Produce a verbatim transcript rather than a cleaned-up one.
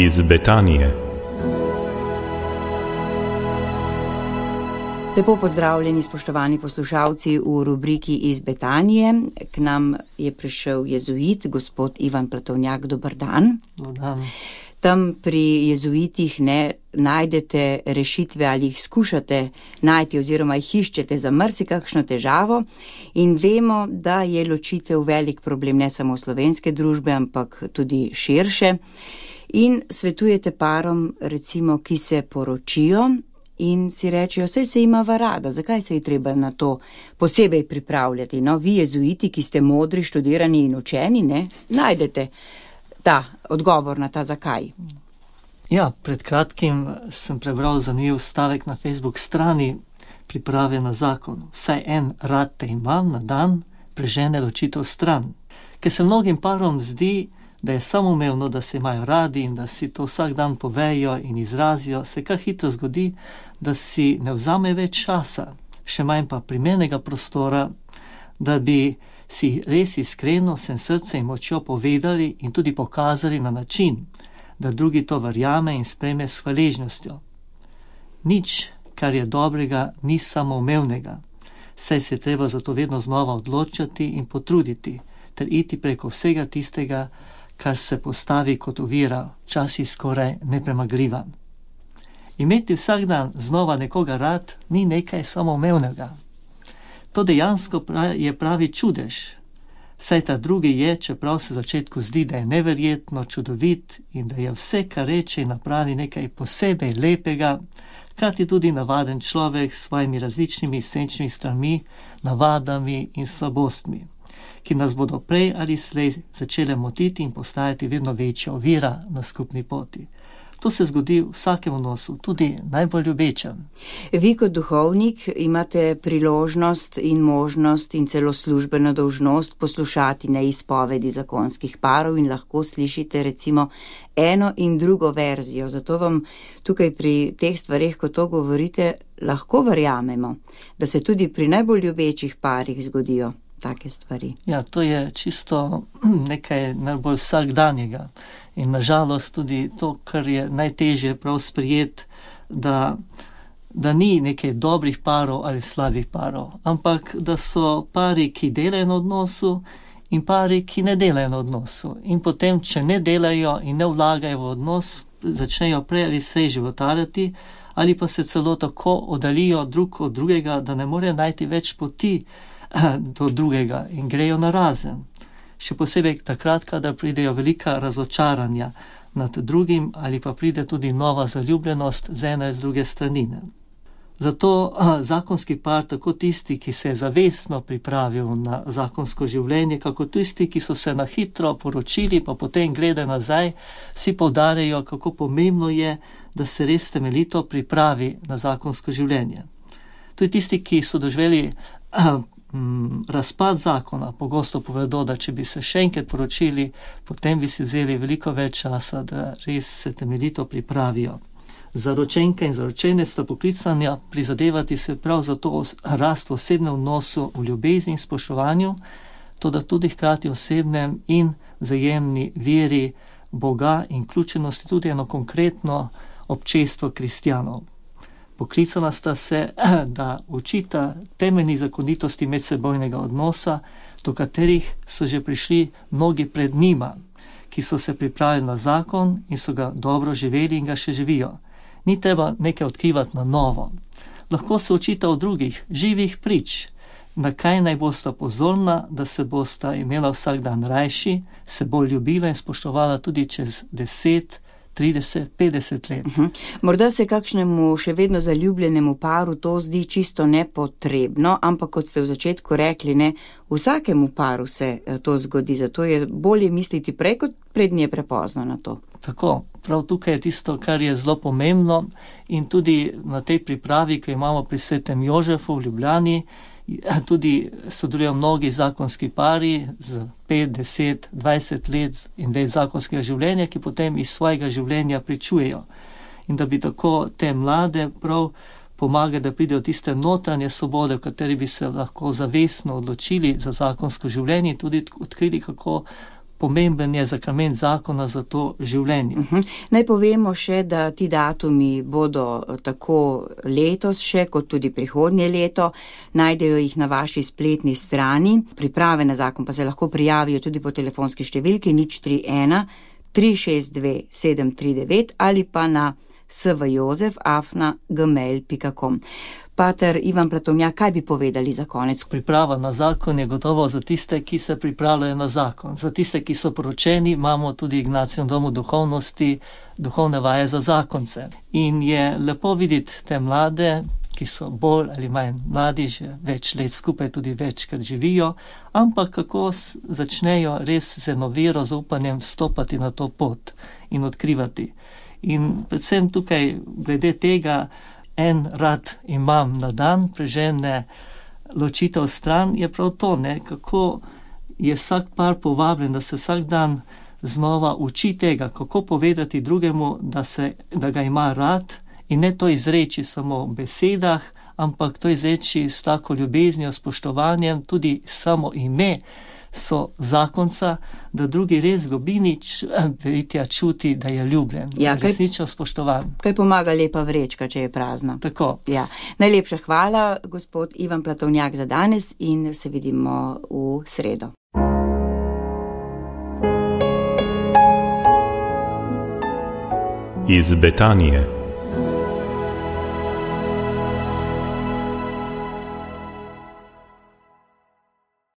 iz Betanije. Lepo pozdravljeni, spoštovani poslušalci v rubriki iz Betanije. K nam je prišel jezuit, gospod Ivan Platovnjak. Dober dan. Dober dan. Tam pri jezuitih ne najdete rešitve ali jih skušate najti oziroma jih iščete za marsikakšno težavo in vemo, da je ločitev velik problem ne samo slovenske družbe, ampak tudi širše. In svetujete parom, recimo, ki se poročijo in si rečejo, saj se imava rada, zakaj se je treba na to posebej pripravljati? No, vi jezuiti, ki ste modri, študirani in učeni, ne, najdete ta odgovor na ta zakaj. Ja, pred kratkim sem prebral zanimiv stavek na Facebook strani Priprave na zakon. Vsaj en rad te imam na dan, prežene ločitev stran. Ker se mnogim parom zdi, da je samoumevno, da se imajo radi in da si to vsak dan povejo in izrazijo, se kar hitro zgodi, da si ne vzame več časa, še manj pa primernega prostora, da bi si res iskreno, vsem srcem in močjo povedali in tudi pokazali na način, da drugi to verjame in sprejme s hvaležnostjo. Nič, kar je dobrega, ni samoumevnega, saj se treba zato vedno znova odločati in potruditi, ter iti preko vsega tistega, kar se postavi kot ovira, včasih skoraj nepremagljiva. Imeti vsak dan znova nekoga rad ni nekaj samoumevnega. To dejansko je pravi čudež, saj ta drugi je, čeprav se v začetku zdi, da je neverjetno čudovit in da je vse, kar reče in napravi, nekaj posebej lepega, hkrati tudi navaden človek s svojimi različnimi senčnimi stranmi, navadami in slabostmi, ki nas bodo prej ali slej začele motiti in postajati vedno večja ovira na skupni poti. To se zgodi v vsakem odnosu, tudi najbolj ljubečem. Vi kot duhovnik imate priložnost in možnost in celo službeno dolžnost poslušati neizpovedi zakonskih parov in lahko slišite recimo eno in drugo verzijo. Zato vam tukaj pri teh stvareh, ko to govorite, lahko verjamemo, da se tudi pri najbolj ljubečih parih zgodijo take stvari. Ja, to je čisto nekaj najbolj vsakdanjega. In nažalost tudi to, kar je najtežje prav sprijet, da, da ni nekaj dobrih parov ali slabih parov, ampak da so pari, ki delajo na odnosu in pari, ki ne delajo na odnosu. In potem, če ne delajo in ne vlagajo v odnos, začnejo prej ali slej životarjati ali pa se celo tako oddalijo drug od drugega, da ne morejo najti več poti do drugega in grejo na razen. Še posebej takrat, kadar pridejo velika razočaranja nad drugim ali pa pride tudi nova zaljubljenost z ene in z druge stranine. Zato zakonski par, tako tisti, ki se je zavestno pripravil na zakonsko življenje, kako tisti, ki so se na hitro poročili, pa potem gledajo nazaj, vsi poudarjajo, kako pomembno je, da se res temeljito pripravi na zakonsko življenje. Tudi tisti, ki so doživeli razpad zakona, pogosto povedo, da če bi se še enkrat poročili, potem bi si vzeli veliko več časa, da res se temeljito pripravijo. Zaročenka in zaročene sta poklicana prizadevati se prav za to rast v osebnem odnosu, v ljubezni in spoštovanju, toda tudi hkrati osebnem in vzajemni veri Boga in vključenosti tudi eno konkretno občestvo kristjanov. Poklicana sta se, da učita temeljnih zakonitosti medsebojnega odnosa, do katerih so že prišli mnogi pred njima, ki so se pripravili na zakon in so ga dobro živeli in ga še živijo. Ni treba nekaj odkrivati na novo. Lahko se učita od drugih, živih prič, na kaj naj bosta pozorna, da se bosta imela vsak dan rajši, se bolj ljubila in spoštovala tudi čez deset, trideset, petdeset let. Uh-huh. Morda se kakšnemu še vedno zaljubljenemu paru to zdi čisto nepotrebno, ampak kot ste v začetku rekli, ne, vsakemu paru se to zgodi, zato je bolje misliti prej, kot prednje prepozno na to. Tako, prav tukaj je tisto, kar je zelo pomembno in tudi na tej pripravi, ki imamo pri Svetem Jožefu v Ljubljani, tudi sodelujo mnogi zakonski pari z pet, deset, dvajset let in več zakonskega življenja, ki potem iz svojega življenja pričujejo. In da bi tako te mlade prav pomagali, da pridejo tiste notranje svobode, v kateri bi se lahko zavestno odločili za zakonsko življenje in tudi odkrili, kako pomemben je zakrament zakona za to življenje. Uh -huh. Naj povemo še, da ti datumi bodo tako letos še, kot tudi prihodnje leto. Najdejo jih na vaši spletni strani. Priprave na zakon pa se lahko prijavijo tudi po telefonski številki nič tri ena tri šest dve sedem tri devet ali pa na svjozef afna gmail pika com. Pater Ivan Platovnjak, kaj bi povedali za konec? Priprava na zakon je gotovo za tiste, ki se pripravljajo na zakon. Za tiste, ki so poročeni, imamo tudi v Ignacijevem domu duhovnosti duhovne vaje za zakonce. In je lepo videti te mlade, ki so bolj ali manj mladi, že več let skupaj tudi večkrat živijo, ampak kako začnejo res z eno vero, zaupanjem stopati na to pot in odkrivati. In predvsem tukaj glede tega, en rad imam na dan, prežene ločitev stran, je prav to, ne, kako je vsak par povabljen, da se vsak dan znova uči tega, kako povedati drugemu, da, se, da ga ima rad in ne to izreči samo v besedah, ampak to izreči s tako ljubeznijo, spoštovanjem, tudi samo ime so zakonca, da drugi res globinič vitja čuti, da je ljubljen, ja, resnično spoštovan. Kaj pomaga lepa vrečka, če je prazna. Tako. Ja. Najlepša hvala, gospod Ivan Platovnjak, za danes in se vidimo v sredo. Iz Betanije.